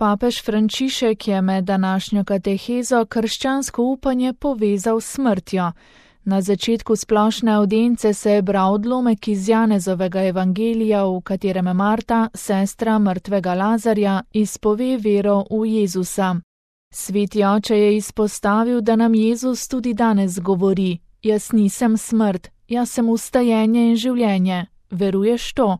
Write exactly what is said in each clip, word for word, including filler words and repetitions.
Papež Frančišek je med današnjo katehezo krščansko upanje povezal s smrtjo. Na začetku splošne avdience se je bral odlomek iz Janezovega evangelija, v katerem Marta, sestra mrtvega Lazarja, izpove vero v Jezusa. Sveti oče je izpostavil, da nam Jezus tudi danes govori: jaz nisem smrt, jaz sem vstajenje in življenje. Veruješ to?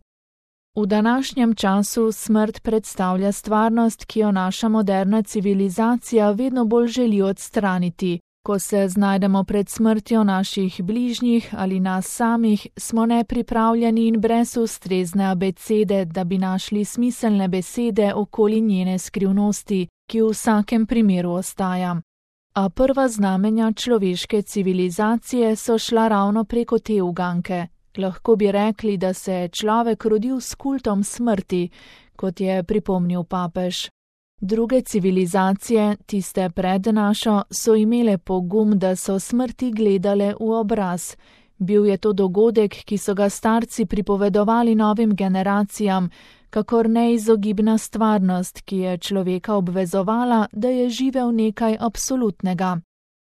V današnjem času smrt predstavlja stvarnost, ki jo naša moderna civilizacija vedno bolj želi odstraniti. Ko se znajdemo pred smrtjo naših bližnjih ali nas samih, smo nepripravljeni in brez ustrezne abecede, da bi našli smiselne besede okoli njene skrivnosti, ki v vsakem primeru ostaja. A prva znamenja človeške civilizacije so šla ravno preko te uganke. Lahko bi rekli, da se je človek rodil s kultom smrti, kot je pripomnil papež. Druge civilizacije, tiste pred našo, so imele pogum, da so smrti gledale v obraz. Bil je to dogodek, ki so ga starci pripovedovali novim generacijam, kakor neizogibna stvarnost, ki je človeka obvezovala, da je živel nekaj absolutnega.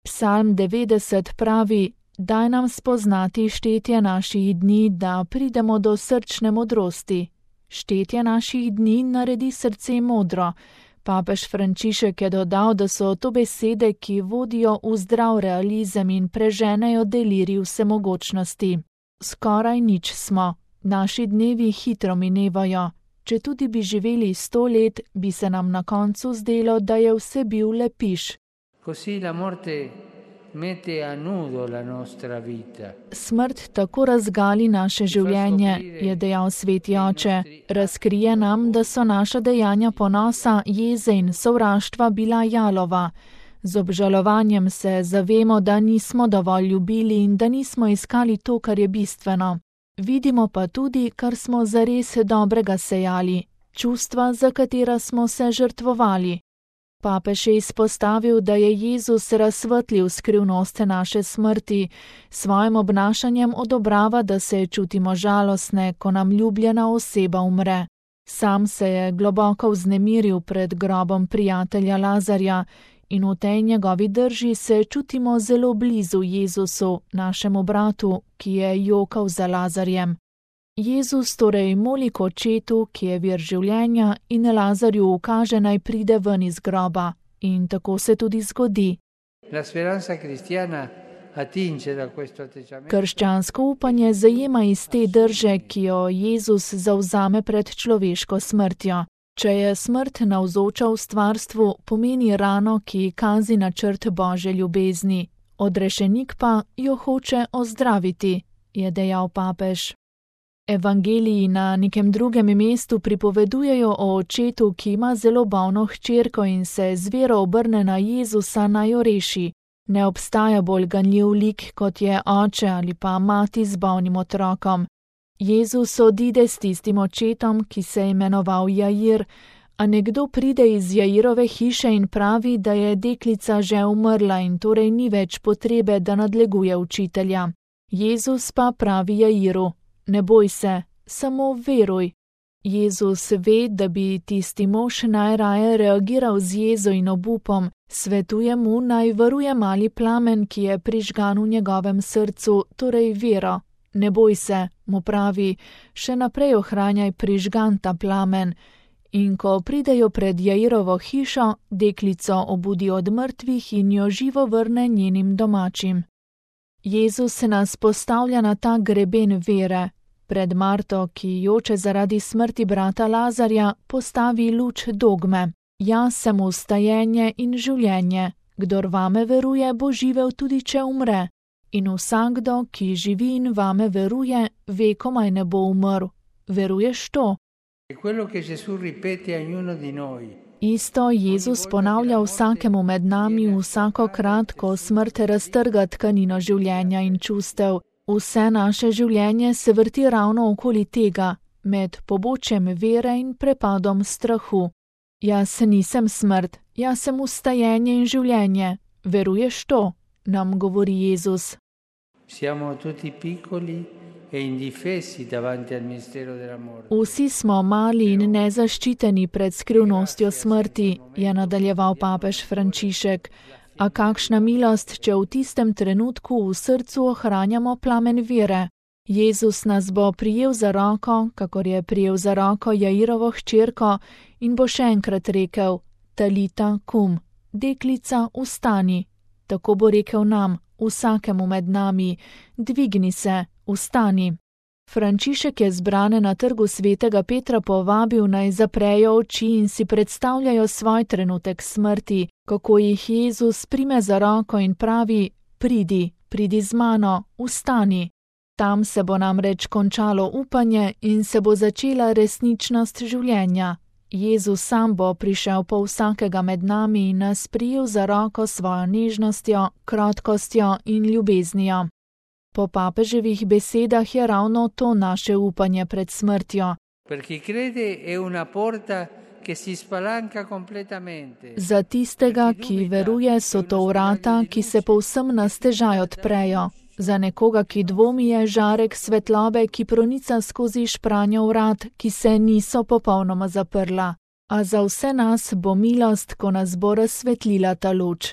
Psalm devetdeset pravi: daj nam spoznati štetje naših dni, da pridemo do srčne modrosti. Štetje naših dni naredi srce modro. Papež Frančišek je dodal, da so to besede, ki vodijo v zdrav realizem in preženejo delirij vsemogočnosti. Skoraj nič smo, naši dnevi hitro minevajo. Če tudi bi živeli sto let, bi se nam na koncu zdelo, da je vse bil le piš. Smrt tako razgali naše življenje, je dejal sveti oče. Razkrije nam, da so naša dejanja ponosa, jeze in sovraštva bila jalova. Z obžalovanjem se zavemo, da nismo dovolj ljubili in da nismo iskali to, kar je bistveno. Vidimo pa tudi, kar smo zares dobrega sejali, čustva, za katera smo se žrtvovali. Papež je izpostavil, da je Jezus razsvetlil skrivnost naše smrti, svojim obnašanjem odobrava, da se čutimo žalostne, ko nam ljubljena oseba umre. Sam se je globoko vznemiril pred grobom prijatelja Lazarja in v tej njegovi drži se čutimo zelo blizu Jezusu, našemu bratu, ki je jokal za Lazarjem. Jezus torej moli k očetu, ki je vir življenja, in Lazarju ukaže, naj pride ven iz groba. In tako se tudi zgodi. Krščansko upanje zajema iz te drže, ki jo Jezus zavzame pred človeško smrtjo. Če je smrt navzoča v stvarstvu, pomeni rano, ki kazi načrt Božje ljubezni. Odrešenik pa jo hoče ozdraviti, je dejal papež. Evangeliji na nekem drugem mestu pripovedujejo o očetu, ki ima zelo bolno hčerko in se z vero obrne na Jezusa, naj jo reši. Ne obstaja bolj ganljiv lik, kot je oče ali pa mati z bolnim otrokom. Jezus odide s tistim očetom, ki se je imenoval Jair, a nekdo pride iz Jairove hiše in pravi, da je deklica že umrla in torej ni več potrebe, da nadleguje učitelja. Jezus pa pravi Jairu: ne boj se, samo veruj. Jezus ve, da bi tisti mož najraje reagiral z jezo in obupom, svetuje mu, naj varuje mali plamen, ki je prižgan v njegovem srcu, torej vero. Ne boj se, mu pravi, še naprej ohranjaj prižgan ta plamen. In ko pridejo pred Jairovo hišo, deklico obudi od mrtvih in jo živo vrne njenim domačim. Jezus se nas postavlja na ta greben vere. Pred Marto, ki joče zaradi smrti brata Lazarja, postavi luč dogme. Jaz sem vstajenje in življenje. Kdor vame veruje, bo živel tudi, če umre. In vsakdo, ki živi in vame veruje, ve, komaj ne bo umrl. Veruješ to? Isto Jezus ponavlja vsakemu med nami vsakokrat, ko smrt raztrga tkanino življenja in čustev. Vse naše življenje se vrti ravno okoli tega, med pobočjem vere in prepadom strahu. Jaz nisem smrt, jaz sem vstajenje in življenje. Veruješ to? Nam govori Jezus. Vsi smo mali in nezaščiteni pred skrivnostjo smrti, je nadaljeval papež Frančišek. A kakšna milost, če v tistem trenutku v srcu ohranjamo plamen vere. Jezus nas bo prijel za roko, kakor je prijel za roko Jairovo hčerko, in bo še enkrat rekel: Talita kum, deklica, vstani. Tako bo rekel nam, vsakemu med nami: dvigni se, vstani. Frančišek je zbrane na trgu svetega Petra povabil, naj zaprejo oči in si predstavljajo svoj trenutek smrti, kako jih Jezus prime za roko in pravi: pridi, pridi z mano, vstani. Tam se bo namreč končalo upanje in se bo začela resničnost življenja. Jezus sam bo prišel po vsakega med nami in nas prijel za roko svojo nežnostjo, krotkostjo in ljubeznijo. Po papeževih besedah je ravno to naše upanje pred smrtjo. Za tistega, ki veruje, so to vrata, ki se povsem na stežaj odprejo. Za nekoga, ki dvomi, je žarek svetlobe, ki pronica skozi špranjo vrat, ki se niso popolnoma zaprla. A za vse nas bo milost, ko nas bo razsvetlila ta luč.